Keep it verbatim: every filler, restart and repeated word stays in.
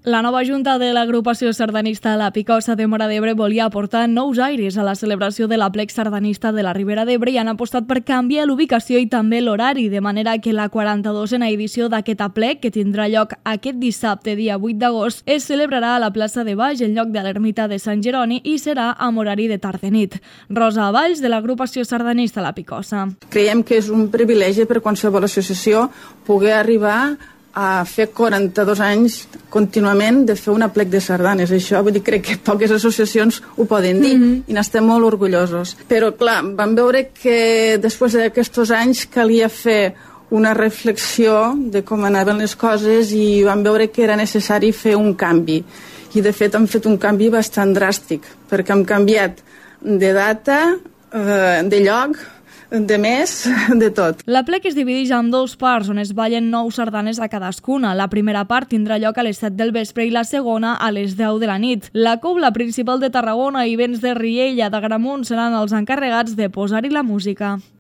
La nova junta de l'agrupació sardanista La Picosa de Móra d'Ebre volia aportar nous aires a la celebració de l'aplec sardanista de la Ribera d'Ebre i han apostat per canviar l'ubicació i també l'horari, de manera que la quaranta-dosena edició d'aquest aplec, que tindrà lloc aquest dissabte, dia vuit d'agost, es celebrarà a la plaça de Baix, en lloc de l'ermita de Sant Jeroni, i serà amb horari de tarda nit. Rosa Valls, de l'agrupació sardanista La Picosa. Creiem que és un privilegi per qualsevol associació poder arribar a fer quaranta-dos anys contínuament de fer un aplec de sardanes. Això vull dir, crec que poques associacions ho poden dir, mm-hmm. i n'estem molt orgullosos. Però clar, vam veure que després d'aquests anys calia fer una reflexió de com anaven les coses i vam veure que era necessari fer un canvi. I de fet hem fet un canvi bastant dràstic, perquè hem canviat de data, de lloc, de més, de tot. L'aplec es divideix en dos parts on es ballen nou sardanes a cadascuna. La primera part tindrà lloc a les set del vespre i la segona a les deu de la nit. La Cobla Principal de Tarragona i Vents de Riella d'Agramunt seran els encarregats de posar-hi la música.